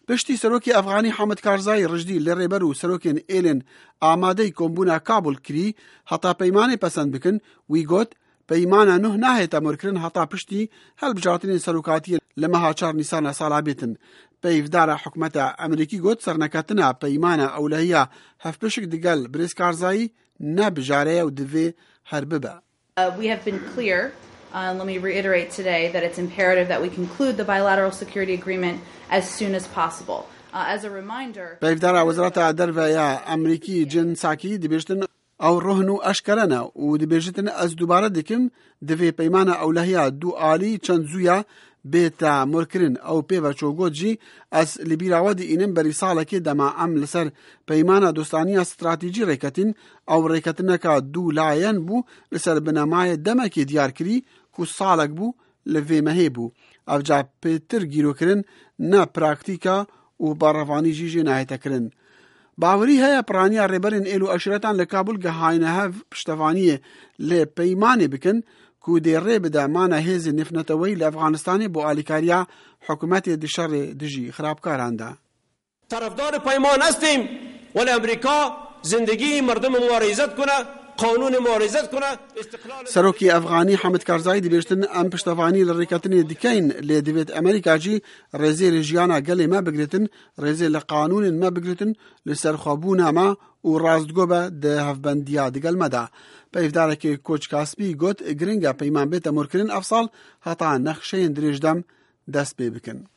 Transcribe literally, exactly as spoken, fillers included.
Piştî Serokê Efxanî Hamid Karzayî rijdî li rêber û serokên êlên amadeyî kombûna Kabul kirî heta peymanê pesend bikin, wî got peymana nûh nahête morkirin heta piştî hilbijartinên serokatiyê li meha çar Nîsana sala bêtin. Peyvdara hikûmeta Amerîkî got serneketina peymana ewlehiya hevpişk digel Birêz Karzayî ne bijare ye û divê her bibe. Uh, we have been clear, uh, let me reiterate today, that it's imperative that we conclude the bilateral security agreement as soon as possible. Uh, as a reminder, Peyvdara Wezareta Derve ya Amerîkî Jen Psaki dibêjtin ew rohn û eşkere ne û dibêjitin ez dubare dikim divê peymana ewlehiya du alî çend zûya bête morkirin ew pêve çû got jî ez li bîra we diînim berî salekê dema em li ser peymana dostaniya stratejî rêketin ew rêketineka du layen bû li ser binemayê demekê diyar kirî ku salek bû li vê mehê bû. Ev ca pêtir gîrokirin ne praktîka û berevanî jî jê nahête kirin. Bawerî heye piraniya rêberên êl û eşiretan li Kabul gehayne hev piştevaniyê lê peymanê bikin ku dê rê bide mana hêzên navneteweyî li Efxanistanê bo alîkariya hikûmetê di şerê dijî xirabkaran de. طرفدار پیمان هستیم ولی امریکا زندگی مردم ما را عزت کنه قانون ما را عزت کنه استقلال Serokê Efxanî Hamid Karzayî dibêjtin em piştevanî li rêketinê dikeyn lê divêt Amerîka jî rêzê li jiyana gelê me bigirtin, rêzê li qanûnên me bigirtin li serxwebûna me û rastgo be di hevbendiya digel me de. Peyvdarekê Koçka Spî got giring e peyman bête morkirin ev sal heta nexşeyên dirêjdem dest pê bikin.